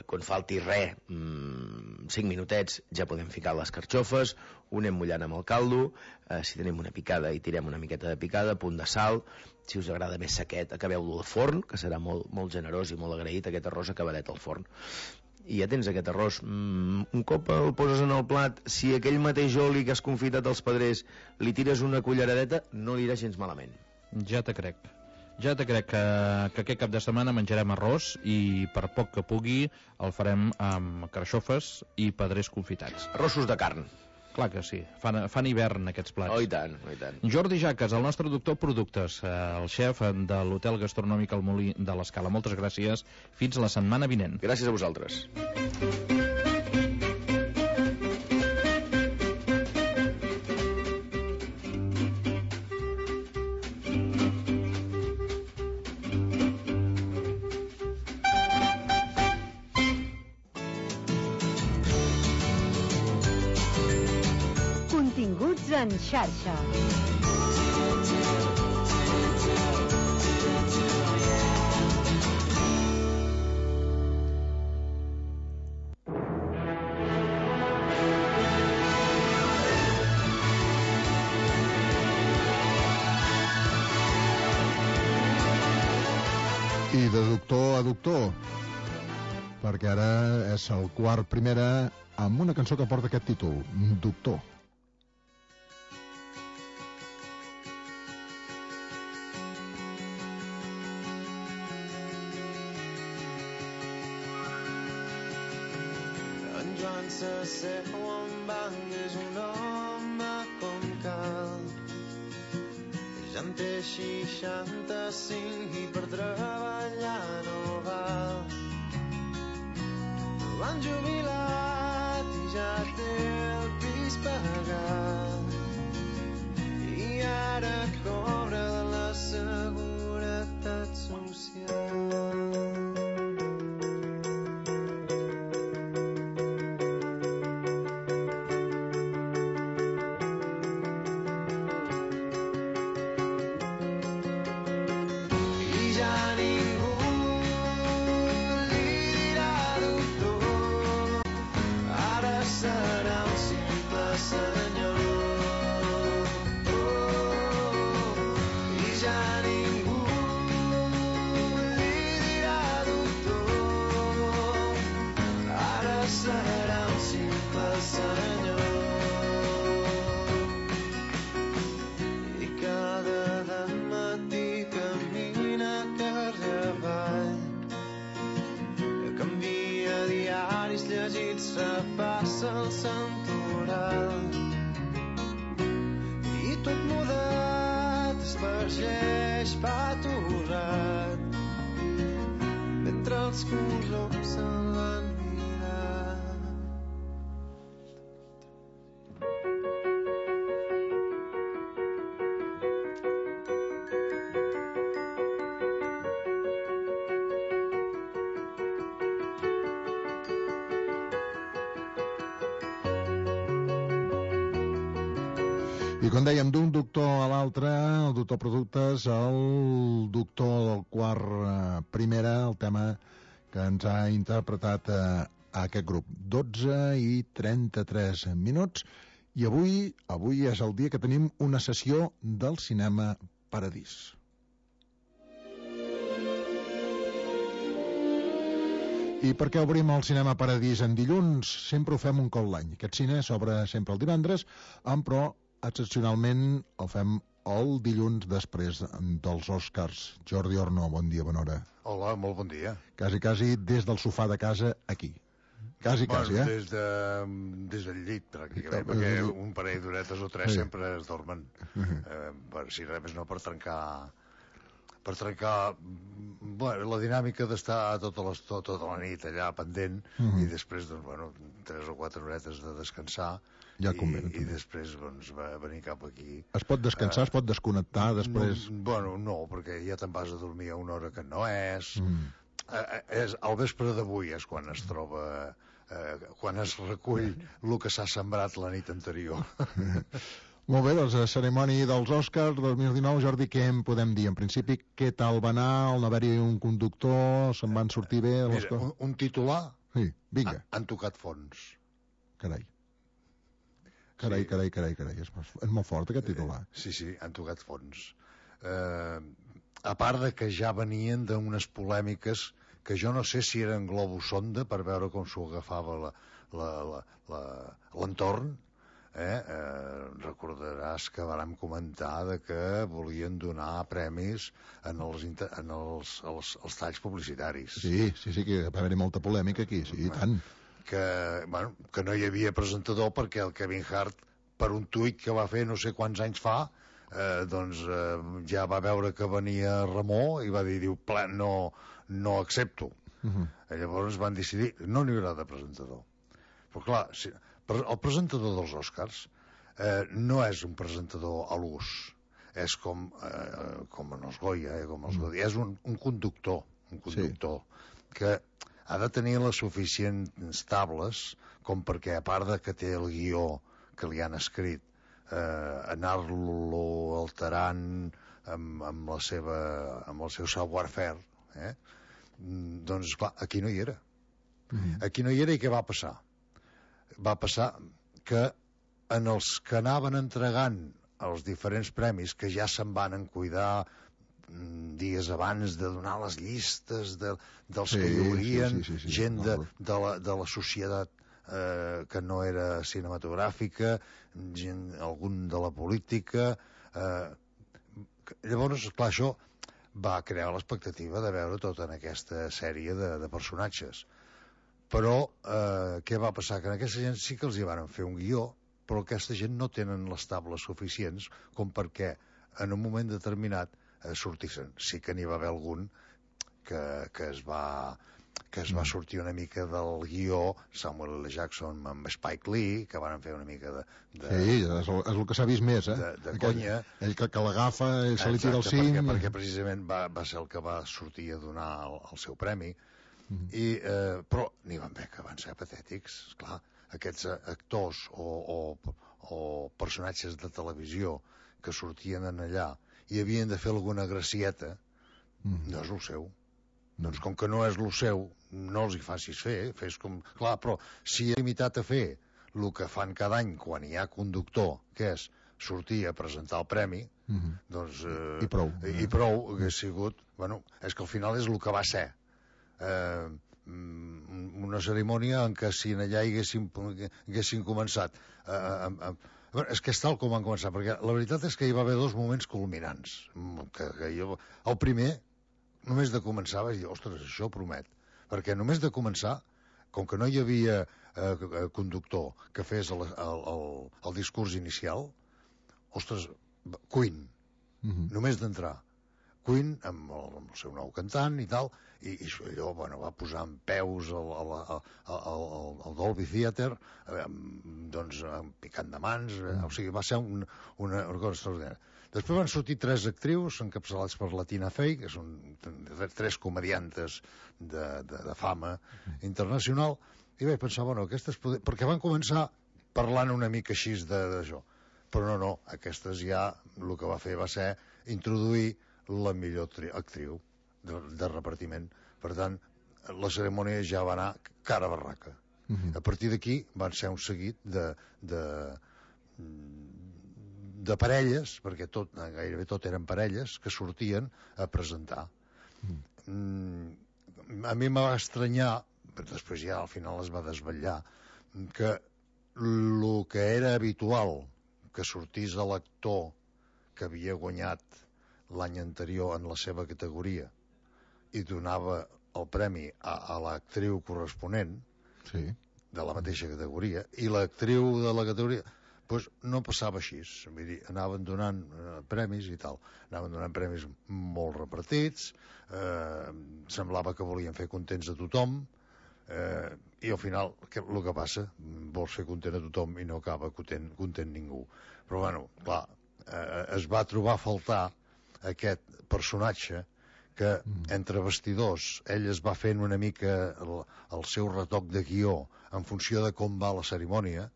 quan falti res, 5 minutets ja podem ficar les carxofes, ho anem mullant amb el caldo, si tenim una picada hi tirem una miqueta de picada, punt de sal, si us agrada més sequet acabeu-lo al forn, que serà molt generós i molt agraït aquest arròs acabadet al forn. I ja tens aquest arròs. Un cop el poses en el plat, si aquell mateix oli que has confitat als pedrers li tires una culleradeta, no li irà gens malament. Ja te crec que aquest cap de setmana menjarem arròs, i per poc que pugui el farem amb carxofes i pedrers confitats. Arrossos de carn. Clar que sí, fan hivern aquests plats. Oh, i tant, oh, i tant. Jordi Jaques, el nostre doctor productes, el xef de l'hotel gastronòmic El Molí de l'Escala. Moltes gràcies, fins la setmana vinent. Gràcies a vosaltres. Continguts en xarxa. la Doctor, perquè ara és el quart primera amb una cançó que porta aquest títol, Doctor. En Joan s'asseu en banc, és un home com cal. Ja en té 65 i per treballar no val. L'han jubilat i ja té el pis pagat. I ara cobra de la Seguretat Social. Passa el santoral i tot mudat espargeix paturrat mentre els coloms se'n van mirar. I com dèiem, d'un doctor a l'altre, el doctor Productes, el doctor del quart primera, el tema que ens ha interpretat aquest grup. 12 i 33 minuts, i avui és el dia que tenim una sessió del Cinema Paradís. I per què obrim el Cinema Paradís en dilluns? Sempre ho fem un cop l'any. Aquest cine s'obre sempre el divendres, però excepcionalment el fem el dilluns després dels Oscars. Jordi Orno, bon dia, bona hora. Hola, molt bon dia. Quasi des del sofà de casa aquí. Quasi, Des del llit, pràcticament, perquè un parell d'horetes o tres sempre es dormen. Si res més no, per trencar la dinàmica d'estar tota la nit allà pendent i després, 3 o 4 horetes de descansar. Ja convé, I després va venir cap aquí. Es pot descansar, es pot desconnectar després? No, perquè ja te'n vas a dormir a una hora que no és. Al vespre d'avui és quan es troba, quan es recull el que s'ha sembrat la nit anterior. Molt bé, doncs la cerimònia dels Oscars 2019, Jordi, què en podem dir? En principi, què tal va anar? On haver-hi un conductor? Se'n van sortir bé? Mira, un titular? Sí, vinga. Han tocat fons. Carai. Carai. És molt fort aquest titular. Sí, han tocat fons. A part de que ja venien d'unes polèmiques que jo no sé si eren globus sonda per veure com s'ho agafava l'entorn. Recordaràs que vàrem comentar que volien donar premis als talls publicitaris. Sí, que va haver-hi molta polèmica aquí, sí, i tant. Que no hi havia presentador perquè el Kevin Hart, per un tuit que va fer no sé quants anys fa, ja va veure que venia Ramó i va dir, no accepto. Llavors van decidir, no n'hi haurà de presentador. Però clar, el presentador dels Oscars no és un presentador a l'ús, és com en els Goya, és un conductor que ha de tenir les suficients tables com perquè, a part de que té el guió que li han escrit, anar-lo alterant amb el seu savoir-faire, doncs, clar, aquí no hi era. Aquí no hi era, i què va passar? Va passar que en els que anaven entregant els diferents premis, que ja se'n van encuidar dies abans de donar les llistes dels que hi haurien, gent de la societat que no era cinematogràfica, algun de la política. Llavors, clar, això va crear l'expectativa de veure tota en aquesta sèrie de personatges. Però què va passar? Que en aquesta gent sí que els hi van fer un guió, però aquesta gent no tenen les tables suficients com perquè en un moment determinat sortissin. Sí que n'hi va haver algun que es va sortir una mica del guió, Samuel L. Jackson amb Spike Lee, que van fer una mica de sí, és el que s'ha vist més, de conya. Ell que l'agafa, ell se li tira el cim. Perquè precisament va ser el que va sortir a donar el seu premi. Però n'hi van haver que van ser patètics. Esclar, aquests actors o personatges de televisió que sortien en allà i havien de fer alguna gracieta, no és el seu. Doncs com que no és el seu, no els hi facis fer, fes com... Clar, però si he limitat a fer el que fan cada any quan hi ha conductor, que és sortir a presentar el premi, doncs... I prou. I prou hagués sigut... Bueno, és que al final és el que va ser. Una cerimònia en què si allà haguessin començat... és que és tal com van començar, perquè la veritat és que hi va haver dos moments culminants. El primer... només de començar vaig dir, ostres, això promet, perquè només de començar, com que no hi havia conductor que fes el discurs inicial, ostres, Queen, només d'entrar, Queen amb el seu nou cantant i tal, i allò, bueno, va posar en peus el Dolby Theatre, doncs picant de mans, o sigui, va ser una cosa extraordinària. Després van sortir 3 actrius encapçalats per la Tina Fey, que són 3 comediantes de fama internacional, i vaig pensar, bueno, aquestes... Perquè van començar parlant una mica així d'això. Però no, aquestes ja el que va fer va ser introduir la millor actriu de repartiment. Per tant, la cerimònia ja va anar cara a barraca. A partir d'aquí van ser un seguit de parelles, perquè gairebé tot eren parelles, que sortien a presentar. A mi m'ha estranyar, però després ja al final es va desvetllar, que el que era habitual que sortís l'actor que havia guanyat l'any anterior en la seva categoria i donava el premi a l'actriu corresponent de la mateixa categoria, i l'actriu de la categoria doncs no passava així, vull dir, anaven donant premis i tal, anaven donant premis molt repartits, semblava que volien fer contents a tothom, i al final el que passa, vols fer content a tothom i no acaba content ningú. Però bueno, clar, es va trobar a faltar aquest personatge que entre vestidors ell es va fent una mica el seu retoc de guió en funció de com va la cerimònia,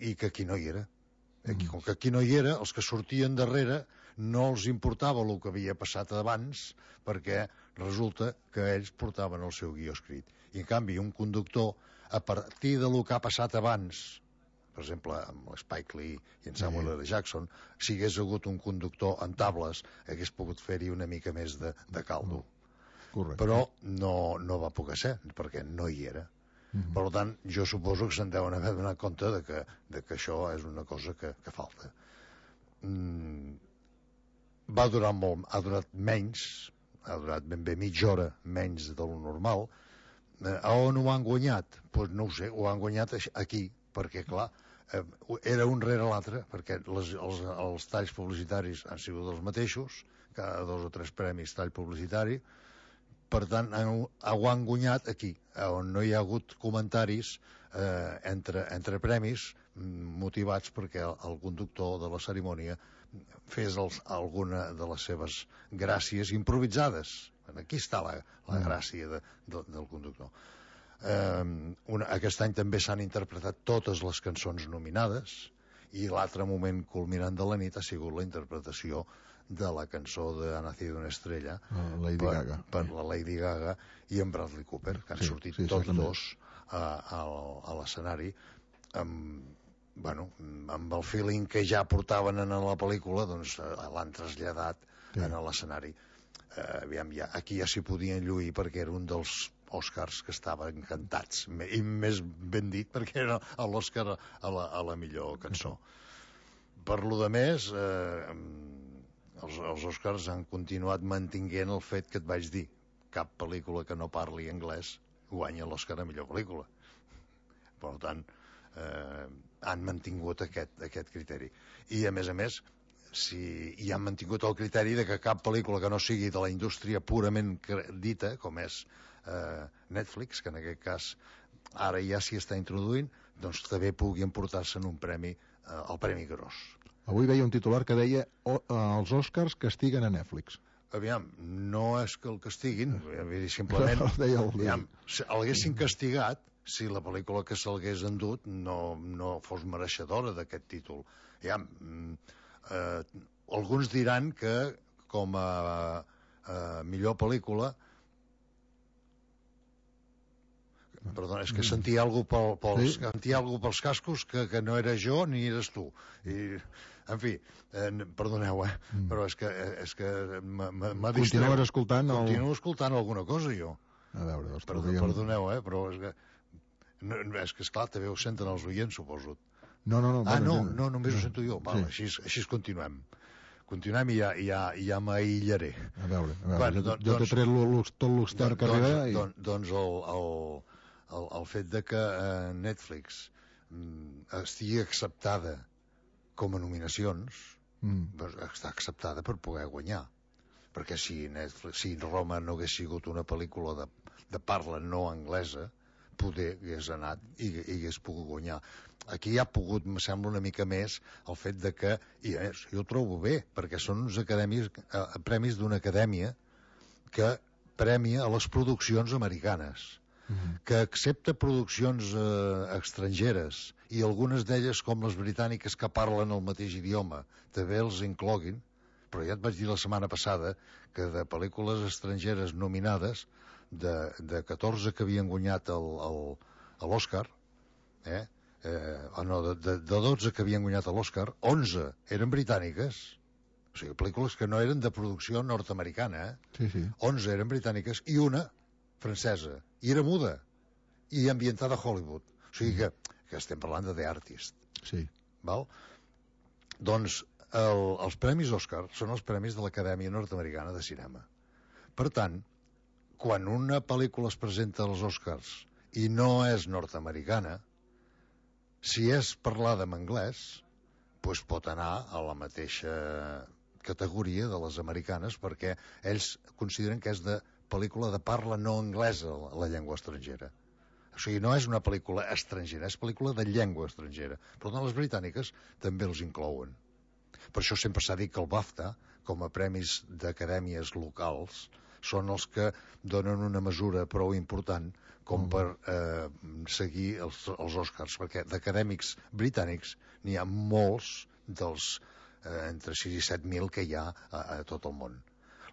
i que aquí no hi era. Com que aquí no hi era, els que sortien darrere no els importava el que havia passat abans, perquè resulta que ells portaven el seu guió escrit. I en canvi un conductor, a partir del que ha passat abans, per exemple amb l'Spike Lee i en Samuel L. Jackson, si hagués hagut un conductor en tables hagués pogut fer-hi una mica més de caldo. Però no va poder ser, perquè no hi era. Per tant, jo suposo que se'n deuen haver donat compte de que això és una cosa que falta. Va durar molt, ha durat menys, ha durat ben bé mitja hora menys de lo normal. A on ho han guanyat? Doncs no ho sé, ho han guanyat aquí, perquè clar, era un rere l'altre, perquè els talls publicitaris han sigut els mateixos, cada 2 o 3 premis tall publicitari. Per tant, ho han guanyat aquí, on no hi ha hagut comentaris entre premis motivats perquè el conductor de la cerimònia fes alguna de les seves gràcies improvisades. Aquí està la gràcia del conductor. Aquest any també s'han interpretat totes les cançons nominades, i l'altre moment culminant de la nit ha sigut la interpretació de la cançó de Ha nacido una estrella per la Lady Gaga i en Bradley Cooper, que han sortit tots dos a l'escenari amb el feeling que ja portaven en la pel·lícula, doncs l'han traslladat en l'escenari. Aquí ja s'hi podien lluir perquè era un dels Oscars que estaven encantats, i més ben dit perquè era l'Oscar a la millor cançó. Per lo de més, els Oscars han continuat mantinguent el fet que et vaig dir: cap pel·lícula que no parli anglès guanya l'Oscar a millor pel·lícula. Per tant, han mantingut aquest criteri. I, a més, hi han mantingut el criteri de que cap pel·lícula que no sigui de la indústria purament dita, com és Netflix, que en aquest cas ara ja s'hi està introduint, doncs també pugui emportar-se'n un premi, el Premi Gros. Avui veia un titular que deia els Oscars castiguen a Netflix. Aviam, no és que el castiguin, simplement l'haguessin castigat si la pel·lícula que se'lhagués endut no fos mereixedora d'aquest títol. Aviam, alguns diran que com a millor pel·lícula... Perdona, és que sentia alguna cosa pels cascos que no era jo ni eres tu. En fi, perdoneu, però és que m'ha distret. Continues escoltant? Continuo escoltant alguna cosa, jo. A veure, perdoneu, però és que esclar, també ho senten els oients, suposo. No, només ho sento jo. Val, així continuem. Continuem i ja m'aïllaré. A veure, jo t'he tret tot l'extern carrera i... Doncs el fet de que Netflix estigui acceptada com a nominacions, està acceptada per poder guanyar. Perquè si Roma no hagués sigut una pel·lícula de parla no anglesa, poder hagués anat i hagués pogut guanyar. Aquí ha pogut, em sembla, una mica més el fet de que, i jo ho trobo bé, perquè són uns premis d'una acadèmia que premia a les produccions americanes, que accepta produccions estrangeres, i algunes d'elles, com les britàniques, que parlen el mateix idioma, també els incloguin. Però ja et vaig dir la setmana passada que de pel·lícules estrangeres nominades, de 14 que havien guanyat l'Oscar, de 12 que havien guanyat l'Oscar, 11 eren britàniques, o sigui, pel·lícules que no eren de producció nord-americana, 11 eren britàniques i una francesa, i era muda, i ambientada a Hollywood. O sigui que estem parlant de The Artist. Sí. Val? Doncs els premis Òscar són els premis de l'Acadèmia Nord-Americana de Cinema. Per tant, quan una pel·lícula es presenta als Òscars i no és nord-americana, si és parlada en anglès, doncs pot anar a la mateixa categoria de les americanes, perquè ells consideren que és de pel·lícula de parla no anglesa, la llengua estrangera. O sigui, no és una pel·lícula estrangera, és pel·lícula de llengua estrangera. Per tant, les britàniques també els inclouen. Per això sempre s'ha dit que el BAFTA, com a premis d'acadèmies locals, són els que donen una mesura prou important com per seguir els Oscars, perquè d'acadèmics britànics n'hi ha molts dels entre 6 i 7.000 que hi ha a tot el món.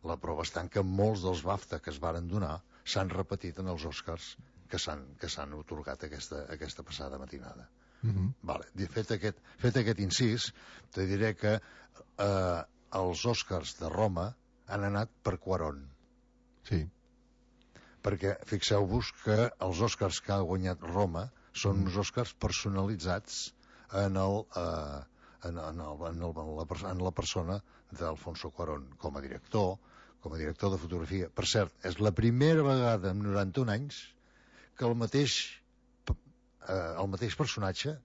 La prova està en que molts dels BAFTA que es varen donar s'han repetit en els Oscars que s'han otorgat aquesta passada matinada. Vale. Fet aquest incís, te diré que els Oscars de Roma han anat per Cuarón. Sí. Perquè fixeu-vos que els Oscars que ha guanyat Roma són uns Oscars personalitzats en la persona d'Alfonso Cuarón com a director de fotografia. Per cert, és la primera vegada en 91 anys que el mateix personatge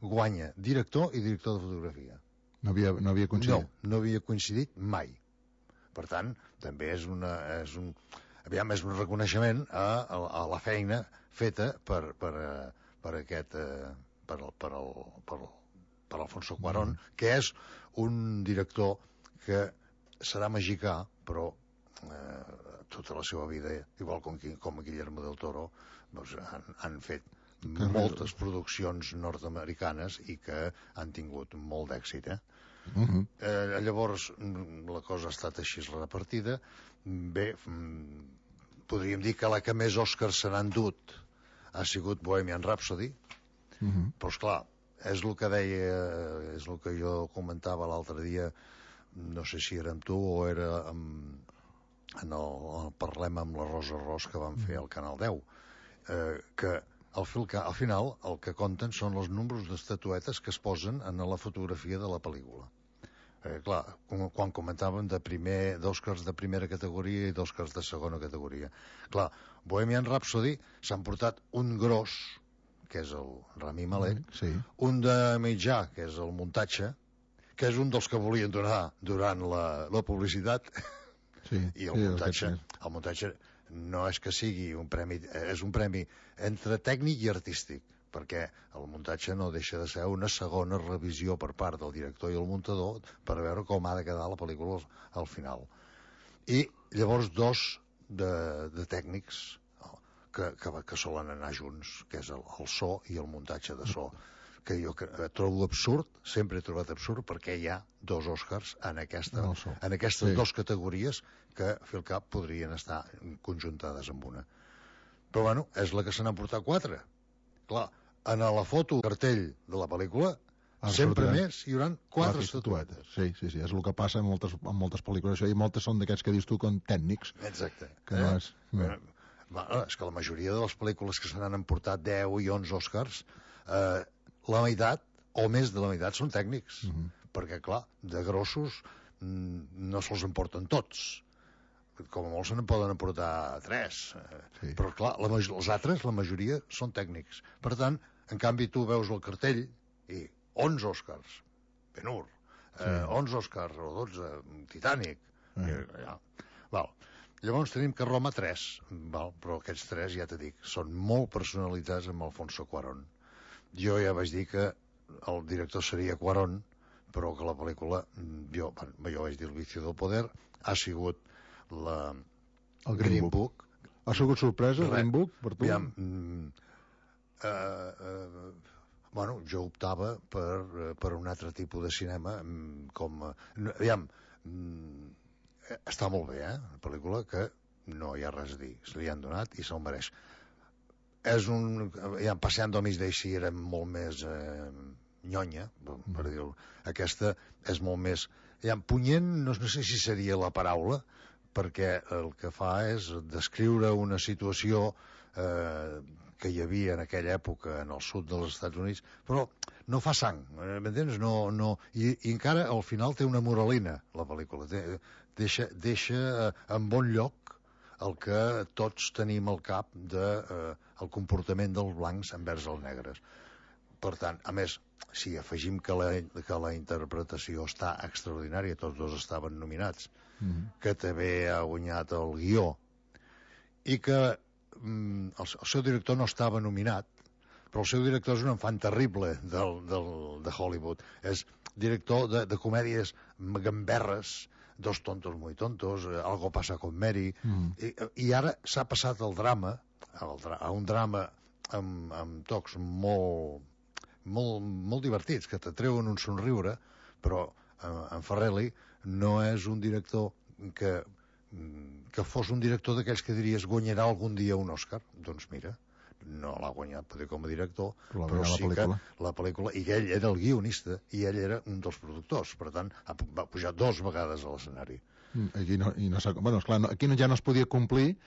guanya director i director de fotografia. No havia coincidit? No havia coincidit mai. Per tant, també és un reconeixement a la feina feta per Alfonso Cuarón, que és un director que serà mexicà, però tota la seva vida, igual com Guillermo del Toro, doncs han fet moltes produccions nord-americanes i que han tingut molt d'èxit. Llavors, la cosa ha estat així repartida. Bé, podríem dir que la que més Oscars se n'han dut ha sigut Bohemian Rhapsody, però esclar, és el que jo comentava l'altre dia no sé si era amb tu o era en el Parlem amb la Rosa Ros que van fer al Canal 10, que al final el que compten són els números d'estatuetes que es posen en la fotografia de la pel·lícula. Clar, quan comentàvem d'Oscars de primera categoria i d'Oscars de segona categoria. Clar, Bohemian Rhapsody s'han portat un gros, que és el Rami Malek, un de mitjà, que és el muntatge, que és un dels que volien donar durant la publicitat, i el muntatge no és que sigui un premi, és un premi entre tècnic i artístic, perquè el muntatge no deixa de ser una segona revisió per part del director i el muntador per veure com ha de quedar la pel·lícula al final. I llavors dos de tècnics que solen anar junts, que és el so i el muntatge de so, que jo trobo absurd, sempre he trobat absurd, perquè hi ha dos Oscars en aquestes dues categories que, fil cap, podrien estar conjuntades amb una. Però, bueno, és la que se n'han portat 4. Clar, en la foto cartell de la pel·lícula sempre més hi haurà 4 estatuetes. Sí, és el que passa en moltes pel·lícules, i moltes són d'aquests que dius tu com tècnics. Exacte. És que la majoria de les pel·lícules que se n'han emportat 10 i 11 Oscars, la meitat o més de la meitat són tècnics, perquè clar, de grossos no se'ls emporten tots, com a molt se n'en poden emportar 3, però clar, els altres, la majoria són tècnics. Per tant, en canvi tu veus el cartell i 11 Oscars, Ben-Hur, 11 Oscars o 12, Titanic, llavors tenim que Roma 3, però aquests 3, ja t'he dit, són molt personalitats amb Alfonso Cuarón. Jo ja vaig dir que el director seria Cuarón, però que la pel·lícula, jo vaig dir El vicio del poder, ha sigut el Green Book. Ha sigut sorpresa el Green Book per tu? Bueno, jo optava per un altre tipus de cinema, està molt bé, una pel·lícula que no hi ha res a dir, se li han donat i se'l mereix. Passando a mig d'eixí era molt més nyonya, per dir-ho. Aquesta és molt més punyent, no sé si seria la paraula, perquè el que fa és descriure una situació que hi havia en aquella època en el sud dels Estats Units, però no fa sang, m'entens? I encara al final té una moralina, la pel·lícula. Deixa en bon lloc el que tots tenim al cap del comportament dels blancs envers els negres. Per tant, a més, si afegim que la interpretació està extraordinària, tots dos estaven nominats, que també ha guanyat el guió, i que el seu director no estava nominat, però el seu director és un enfant terrible de Hollywood. És director de comèdies gamberres, Dos tontos muy tontos, Algo pasa con Mary, i ara s'ha passat el drama, a un drama amb tocs molt divertits, que t'atreuen un somriure, però en Farrelly no és un director que fos un director d'aquells que diries guanyarà algun dia un Òscar. Doncs mira, no l'ha guanyat potser com a director, però sí que la pel·lícula, i ell era el guionista i ell era un dels productors, per tant va pujar 2 vegades a l'escenari. Aquí ja no es podia complir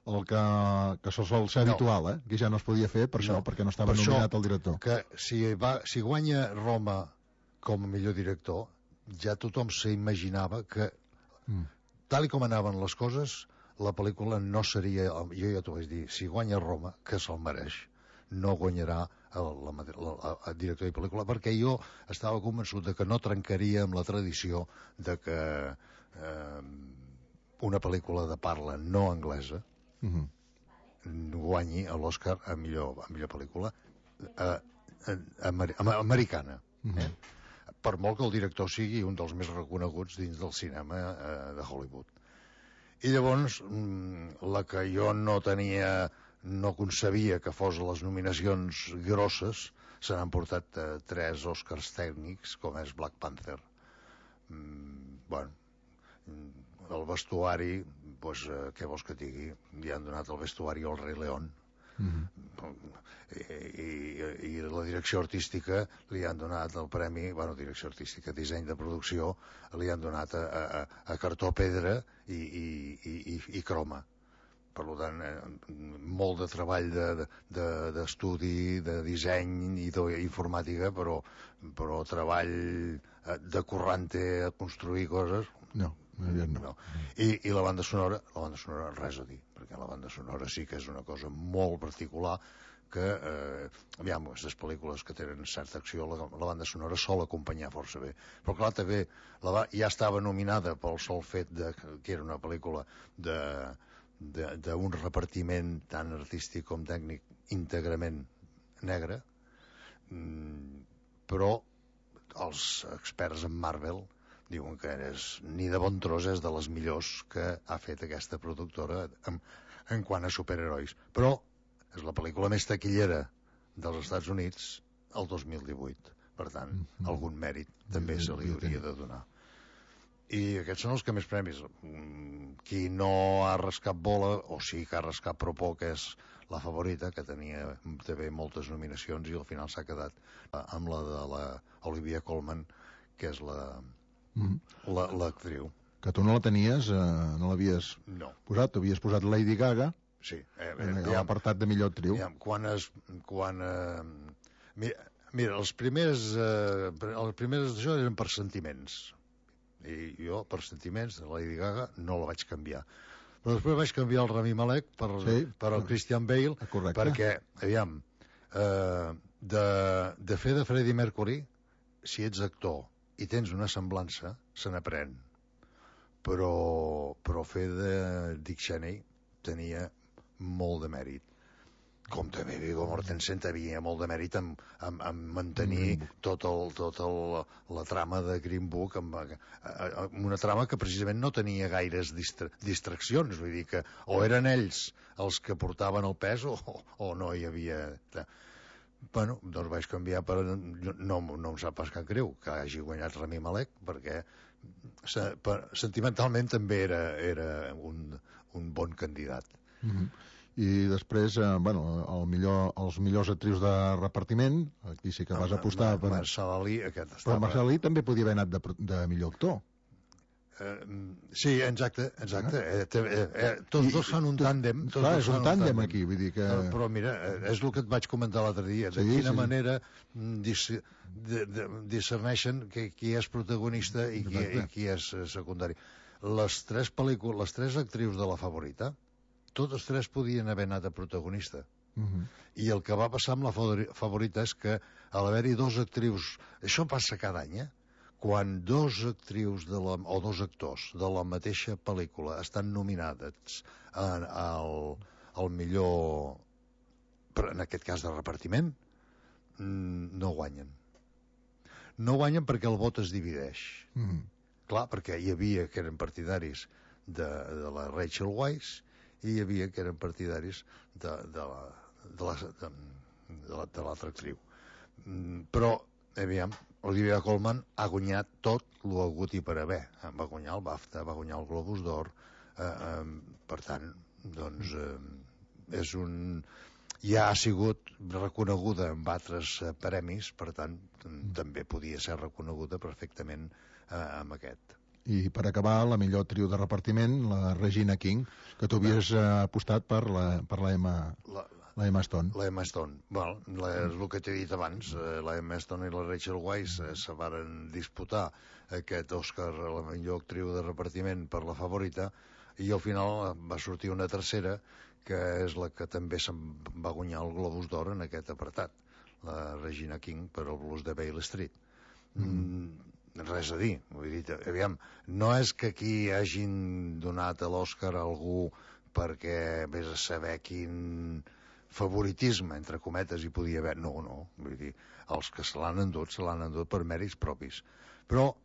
el que sol ser habitual, aquí ja no es podia fer per això, perquè no estava nominat el director. Que si guanya Roma com a millor director, ja tothom s'imaginava que tal com anaven les coses, la pel·lícula no seria, jo ja t'ho vaig dir, si guanya Roma, que se'l mereix, no guanyarà el director de pel·lícula, perquè jo estava convençut de que no trencaria amb la tradició de que una pel·lícula de parla no anglesa guanyi l'Oscar a millor pel·lícula americana. Per molt que el director sigui un dels més reconeguts dins del cinema de Hollywood. I llavors, la que jo no concebia que fos les nominacions grosses, se n'han portat 3 Oscars tècnics, com és Black Panther. El vestuari, què vols que et digui? Li han donat el vestuari al Rei León, I la direcció artística li han donat el premi, direcció artística, disseny de producció, li han donat a cartó, pedra i croma. Per tant, molt de treball d'estudi, de disseny i d'informàtica, però treball de currante a construir coses... No. I la banda sonora res a dir, perquè la banda sonora sí que és una cosa molt particular que, aquestes pel·lícules que tenen certa acció, la banda sonora sol acompanyar força bé. Però clar, també ja estava nominada pel sol fet que era una pel·lícula d'un repartiment tant artístic com tècnic íntegrament negre, però els experts en Marvel diuen que ni de bon tros és de les millors que ha fet aquesta productora en quant a superherois. Però és la pel·lícula més taquillera dels Estats Units el 2018. Per tant, algun mèrit també se li hauria de donar. I aquests són els que més premis. Qui no ha rascat bola, o sí que ha rascat però poc, és La Favorita, que tenia també moltes nominacions i al final s'ha quedat amb la de l'Olivia Colman, que és l'actriu. Que tu no la tenies, no l'havies posat, tu havies posat Lady Gaga. Sí. Ha apartat de millor actriu. Mira, els primers d'això eren per sentiments. I jo, per sentiments, de Lady Gaga no la vaig canviar. Però després vaig canviar el Rami Malek per el Christian Bale, perquè, aviam, de fer de Freddie Mercury, si ets actor i tens una semblança, se n'aprèn. Però fer de Dick Cheney tenia molt de mèrit. Com també Viggo Mortensen tenia molt de mèrit en mantenir tota la trama de Green Book, una trama que precisament no tenia gaires distraccions, vull dir que o eren ells els que portaven el pes o no hi havia... Bueno, doncs vaig canviar per... No em sap pas cap greu que hagi guanyat Rami Malek, perquè sentimentalment també era un bon candidat. I després, els millors actrius de repartiment, aquí sí que vas apostar per... Mahershala Ali, aquest estava... Però Mahershala Ali també podia haver anat de millor actor. Sí, exacte. Tots dos fan un tàndem. Clar, és un tàndem aquí, vull dir que... Però mira, és el que et vaig comentar l'altre dia, de quina manera discerneixen qui és protagonista i qui és secundari. Les tres actrius de La Favorita, totes tres podien haver anat a protagonista. I el que va passar amb La Favorita és que a l'haver-hi dos actrius... Això passa cada any, quan dos actrius o dos actors de la mateixa pel·lícula estan nominats al millor, en aquest cas de repartiment, no guanyen. No guanyen perquè el vot es divideix. Clar, perquè hi havia que eren partidaris de la Rachel Weisz i hi havia que eren partidaris de l'altra actriu. Però, aviam, Olivia Colman ha guanyat tot el hagut i per haver. Va guanyar el BAFTA, va guanyar el Globus d'Or. Per tant, doncs, ja ha sigut reconeguda amb altres premis, per tant, també podia ser reconeguda perfectament amb aquest. I per acabar, la millor actriu de repartiment, la Regina King, que tu havies apostat per la Emma Stone. La Emma Stone. És el que t'he dit abans. La Emma Stone i la Rachel Weisz se varen disputar aquest Òscar a la millor actriu de repartiment per La Favorita, i al final va sortir una tercera, que és la que també se'n va guanyar el Globus d'Or en aquest apartat, la Regina King per el Blues de Beale Street. Res a dir, vull dir, aviam, no és que aquí hagin donat a l'Òscar a algú perquè vés a saber quin favoritisme, entre cometes, hi podia haver. No, vull dir, els que se l'han endut per mèrits propis. Però,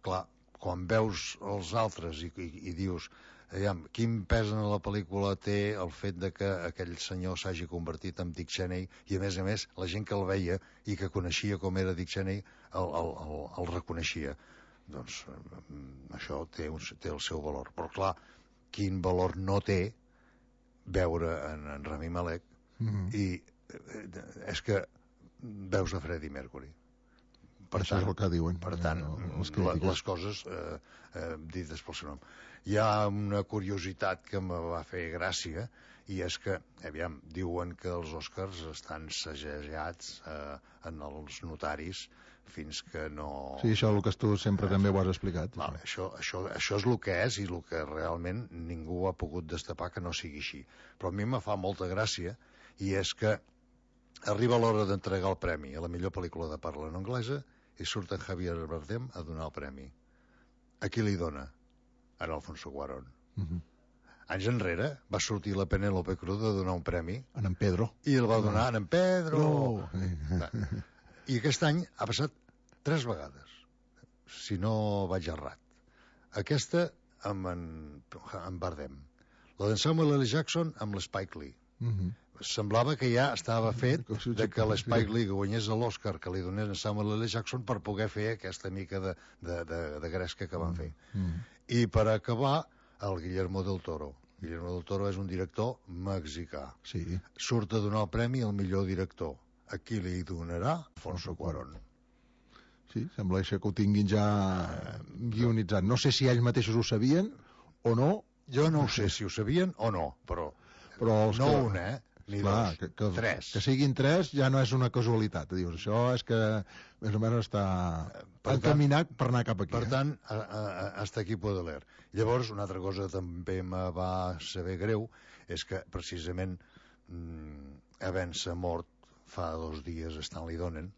clar, quan veus els altres i dius, aviam, quin pes en la pel·lícula té el fet de que aquell senyor s'hagi convertit en Dick Cheney, i a més, la gent que el veia i que coneixia com era Dick Cheney el reconeixia. Doncs això té el seu valor. Però clar, quin valor no té veure en Rami Malek i és que veus a Freddie Mercury. Per Això tant, és el que diuen. Per tant, les coses dites pel seu nom. Hi ha una curiositat que me va fer gràcia, i és que, aviam, diuen que els Oscars estan segellats en els notaris fins que no... Sí, això és el que tu sempre també ho has explicat. Vale, això és el que és i el que realment ningú ha pogut destapar que no sigui així. Però a mi me fa molta gràcia, i és que arriba l'hora d'entregar el premi a la millor pel·lícula de parla no anglesa i surt en Javier Bardem a donar el premi. A qui li dona? A Alfonso Cuarón. Anys enrere va sortir la Penélope Cruz a donar un premi. En Pedro. I el va donar en Pedro. I aquest any ha passat 3 vegades, si no vaig errat. Aquesta amb en Bardem. La d'en Samuel L. Jackson amb l'Spike Lee. Semblava que ja estava fet de que l'Spike Lee guanyés l'Oscar que li donés en Samuel L. Jackson per poder fer aquesta mica de gresca que van fer. I per acabar, el Guillermo del Toro. Guillermo del Toro és un director mexicà. Surt a donar el premi al millor director. A qui li donarà? Alfonso Cuarón. Sí, sembla que ho tinguin ja guionitzat. No sé si ells mateixos ho sabien o no. Jo no ho sé si ho sabien o no, però els no que... un, ni clar, dos, 3. Que siguin 3 ja no és una casualitat. Dius, això és que més o menys està encaminat per anar cap aquí. Per tant, hasta aquí puedo leer. Llavors, una altra cosa que també me va saber greu és que, precisament, havent-se mort fa 2 dies Stanley Donen,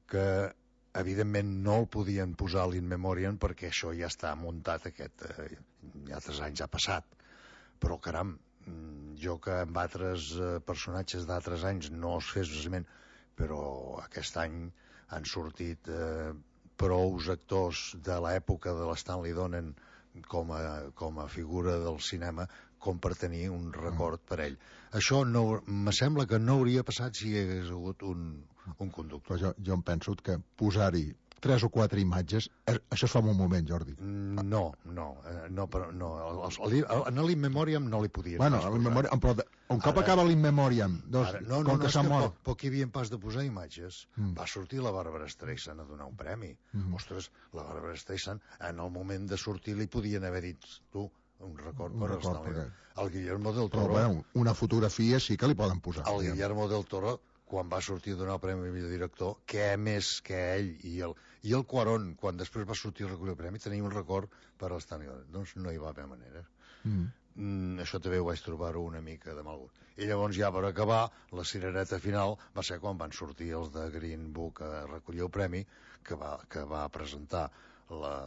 que evidentment no el podien posar a l'in memoriam perquè això ja està muntat ja 3 anys ha passat, però caram, jo que amb altres personatges d'altres anys no es fes precisament, però aquest any han sortit prous actors de l'època de l'Stanley Donen com a figura del cinema com per tenir un record per ell. Això me sembla que no hauria passat si hi hagués hagut un conductor. Però jo em penso que posar-hi 3 o 4 imatges, això es fa en un moment, Jordi. No. En l'in memoriam no li podien posar. Però un cop acaba l'in memoriam, com que s'ha mort... Però qui havien pas de posar imatges? Va sortir la Barbara Streisand a donar un premi. Ostres, la Barbara Streisand, en el moment de sortir li podien haver dit, tu, un record per el Guillermo del Toro. Però bueno, una fotografia sí que li poden posar. El Guillermo del Toro, quan va sortir a donar el premi millor director, què més que ell i el Cuarón, quan després va sortir a recollir el premi, tenia un record per a l'Stanley Donen. Doncs no hi va haver manera. Això també ho vaig trobar-ho una mica de mal gust. I llavors ja per acabar, la cirereta final va ser quan van sortir els de Green Book a recollir el premi, que va presentar la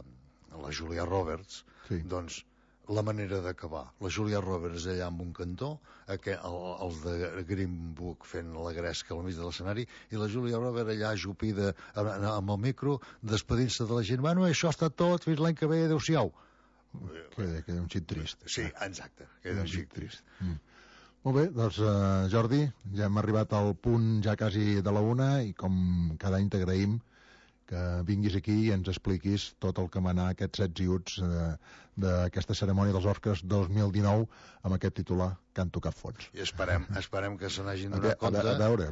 Julia Roberts. Doncs la manera d'acabar. La Julia Roberts allà amb un cantó, els de Green Book fent la gresca al mig de l'escenari, i la Julia Roberts allà ajupida amb el micro, despedint-se de la gent. Bueno, això està tot, fins l'any que ve, adéu-siau. Queda un xic trist. Sí, exacte, queda un xic trist. Molt bé, doncs Jordi, ja hem arribat al punt ja quasi de la 1 i com cada any t'agraïm que vinguis aquí i ens expliquis tot el que manà aquests 7 i uts d'aquesta cerimònia dels Oscars 2019 amb aquest titular que han tocat fons. I esperem que se n'hagin donat compte. A veure